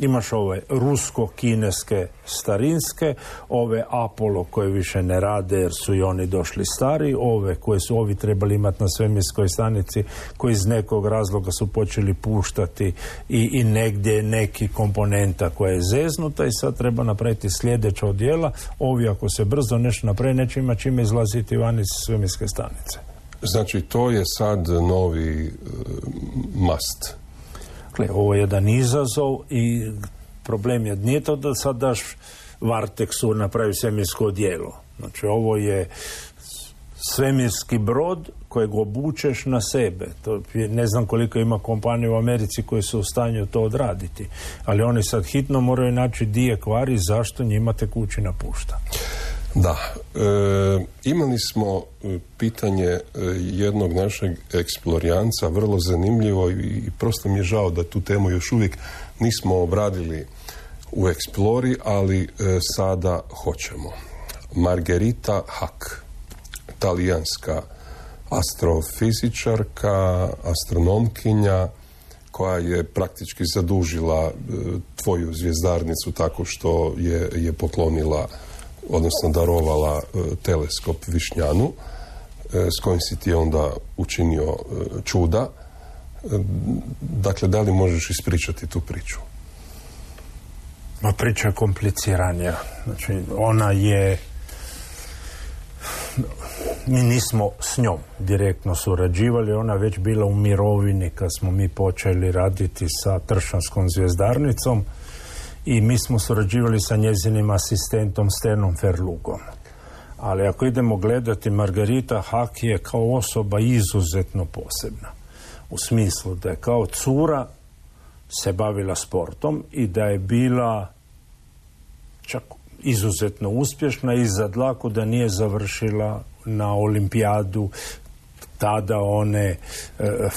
imaš ove rusko-kineske starinske, ove Apollo koje više ne rade jer su i oni došli stari, ove koje su ovi trebali imati na svemirskoj stanici koji iz nekog razloga su počeli puštati i, i negdje neki komponenta koja je zeznuta i sad treba napraviti sljedeća odjela. Ovi ako se brzo nešto napravi neće imati čime izlaziti van iz svemirske stanice. Znači to je sad novi uh, must. Ovo je jedan izazov i problem je, nije to da sad daš Varteksu napravi svemirsko odijelo. Znači, ovo je svemirski brod kojeg obučeš na sebe. To je, ne znam koliko ima kompanija u Americi koji su u stanju to odraditi. Ali oni sad hitno moraju naći di je kvari, zašto njima tekućina pušta. Da, e, imali smo pitanje jednog našeg eksplorijanca, vrlo zanimljivo i prosto mi je žao da tu temu još uvijek nismo obradili u Eksplori, ali e, sada hoćemo. Margherita Hack, talijanska astrofizičarka, astronomkinja, koja je praktički zadužila e, tvoju zvjezdarnicu tako što je, je poklonila, odnosno darovala e, teleskop Višnjanu, e, s kojim si ti onda učinio e, čuda. E, dakle, da li možeš ispričati tu priču? Ma priča je kompliciranija. Znači, ona je... Mi nismo s njom direktno surađivali, ona već bila u mirovini kad smo mi počeli raditi sa Tršanskom zvjezdarnicom i mi smo surađivali sa njezinim asistentom Stenom Ferlugom. Ali ako idemo gledati, Margherita Hack je kao osoba izuzetno posebna. U smislu da je kao cura se bavila sportom i da je bila čak izuzetno uspješna i za dlaku da nije završila na olimpijadu tada one e,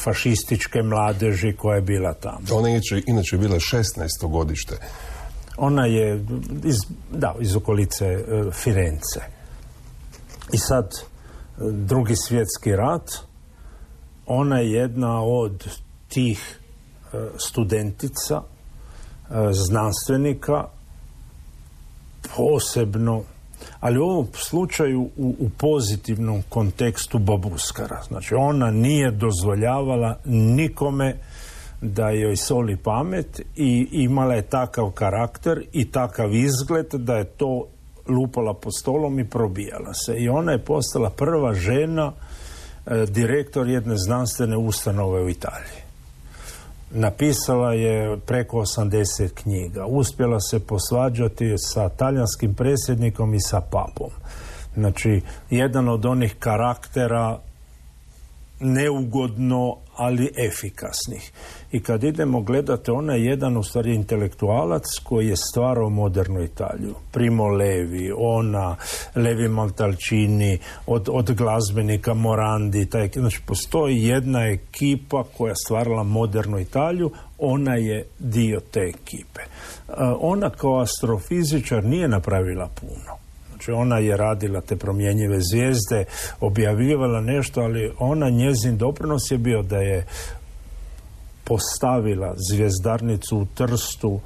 fašističke mladeži koja je bila tamo. Ona je inače bila šesnaesto godište. Ona je iz, da, iz okolice e, Firence. I sad e, Drugi svjetski rat, ona je jedna od tih e, studentica, e, znanstvenika, posebno, ali u ovom slučaju u, u pozitivnom kontekstu babuskara. Znači, ona nije dozvoljavala nikome da joj soli pamet i imala je takav karakter i takav izgled da je to lupala pod stolom i probijala se. I ona je postala prva žena e, direktor jedne znanstvene ustanove u Italiji. Napisala je preko osamdeset knjiga. Uspjela se posvađati sa talijanskim predsjednikom i sa papom. Znači, jedan od onih karaktera neugodno, ali efikasnih. I kad idemo gledati, ona je jedan u stvari intelektualac koji je stvarao modernu Italiju. Primo Levi, ona, Levi Montalcini, od, od glazbenika Morandi. Taj, znači, postoji jedna ekipa koja je stvarala modernu Italiju, ona je dio te ekipe. Ona kao astrofizičar nije napravila puno. Znači, ona je radila te promjenjive zvijezde, objavljivala nešto, ali ona, njezin doprinos je bio da je postavila zvjezdarnicu u Trstu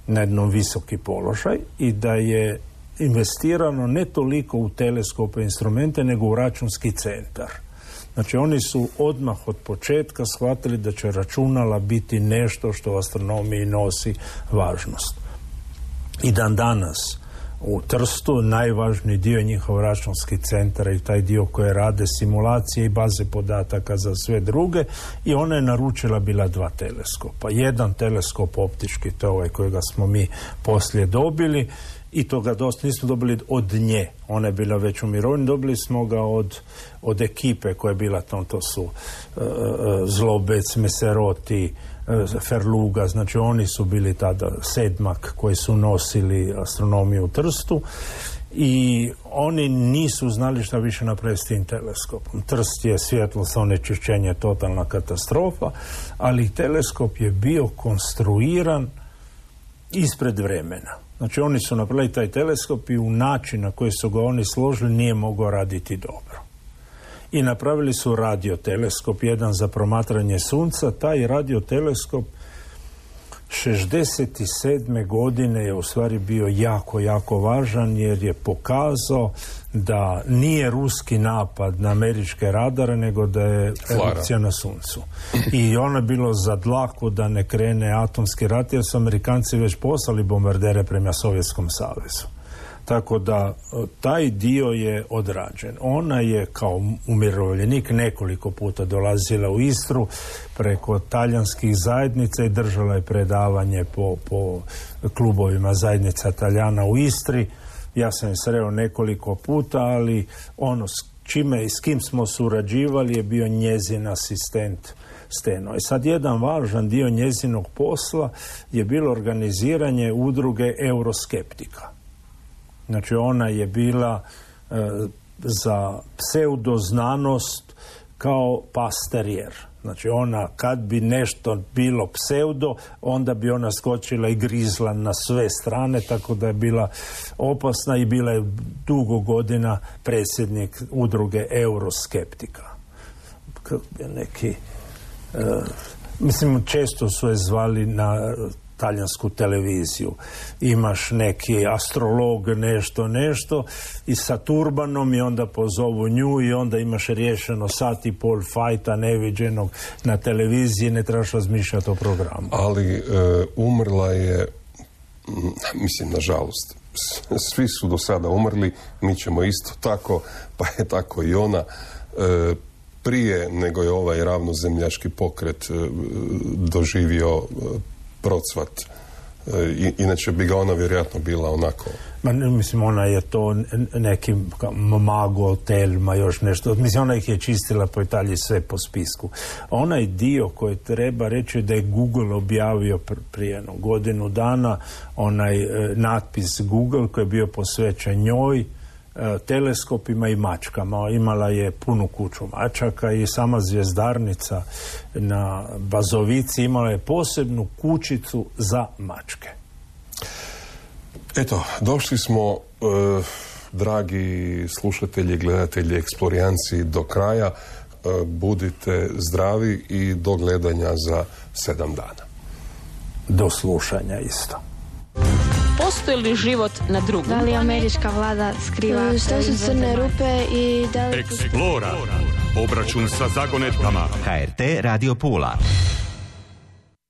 na jednom visoki položaj i da je investirano ne toliko u teleskope instrumente, nego u računski centar. Znači, oni su odmah od početka shvatili da će računala biti nešto što u astronomiji nosi važnost. I dan danas u Trstu najvažniji dio njihov računski centar i taj dio koje rade simulacije i baze podataka za sve druge, i ona je naručila bila dva teleskopa. Jedan teleskop optički, to je ovaj kojega smo mi poslije dobili, i to ga dosta nismo dobili od nje. Ona je bila već u mirovini, dobili smo ga od, od ekipe koja je bila tam, to su uh, Zlobec, Meseroti, Ferluga, znači oni su bili tada sedmak koji su nosili astronomiju u Trstu i oni nisu znali šta više napraviti s tim teleskopom. Trst je svjetlosno onečišćenje, totalna katastrofa, ali teleskop je bio konstruiran ispred vremena. Znači, oni su napravili taj teleskop i u način na koji su ga oni složili nije mogao raditi dobro. I napravili su radioteleskop, jedan za promatranje sunca. Taj radioteleskop šezdeset sedme godine je u stvari bio jako, jako važan, jer je pokazao da nije ruski napad na američke radare, nego da je erupcija na suncu. I ono je bilo za dlaku da ne krene atomski rat, jer su Amerikanci već poslali bombardere prema Sovjetskom savezu. Tako da taj dio je odrađen. Ona je kao umirovljenik nekoliko puta dolazila u Istru preko talijanskih zajednica i držala je predavanje po, po klubovima zajednica Talijana u Istri. Ja sam je sreo nekoliko puta, ali ono s čime i s kim smo surađivali je bio njezin asistent Steno. I sad jedan važan dio njezinog posla je bilo organiziranje udruge euroskeptika. Znači ona je bila e, za pseudoznanost kao pasterijer. Znači ona, kad bi nešto bilo pseudo, onda bi ona skočila i grizla na sve strane, tako da je bila opasna i bila je dugo godina predsjednik udruge euroskeptika. Neki, e, mislim, često su je zvali na talijansku televiziju. Imaš neki astrolog, nešto, nešto i sa turbanom i onda pozovu nju i onda imaš riješeno sat i pol fajta neviđenog na televiziji, ne trebaš razmišljati o programu. Ali e, umrla je, mislim, nažalost, svi su do sada umrli, mi ćemo isto tako, pa je tako i ona. E, prije nego je ovaj ravnozemljaški pokret e, doživio e, procvat. I, inače bi ga ona vjerojatno bila onako... Ma, mislim, ona je to neki mago, telma, još nešto. Mislim, ona ih je čistila po Italiji sve po spisku. Onaj dio koji treba reći da je Google objavio prije jedno godinu dana, onaj e, natpis Google koji je bio posvećen njoj, teleskopima i mačkama. Imala je punu kuću mačaka i sama zvjezdarnica na Bazovici imala je posebnu kućicu za mačke. Eto, došli smo, eh, dragi slušatelji, gledatelji, eksplorijanci, do kraja. Eh, budite zdravi i do gledanja za sedam dana. Do slušanja isto. Postoji li život na drugom? Da li američka vlada skriva? Što su crne rupe i da li... Eksplora. Obračun sa zagonetkama. H R T Radio Pula.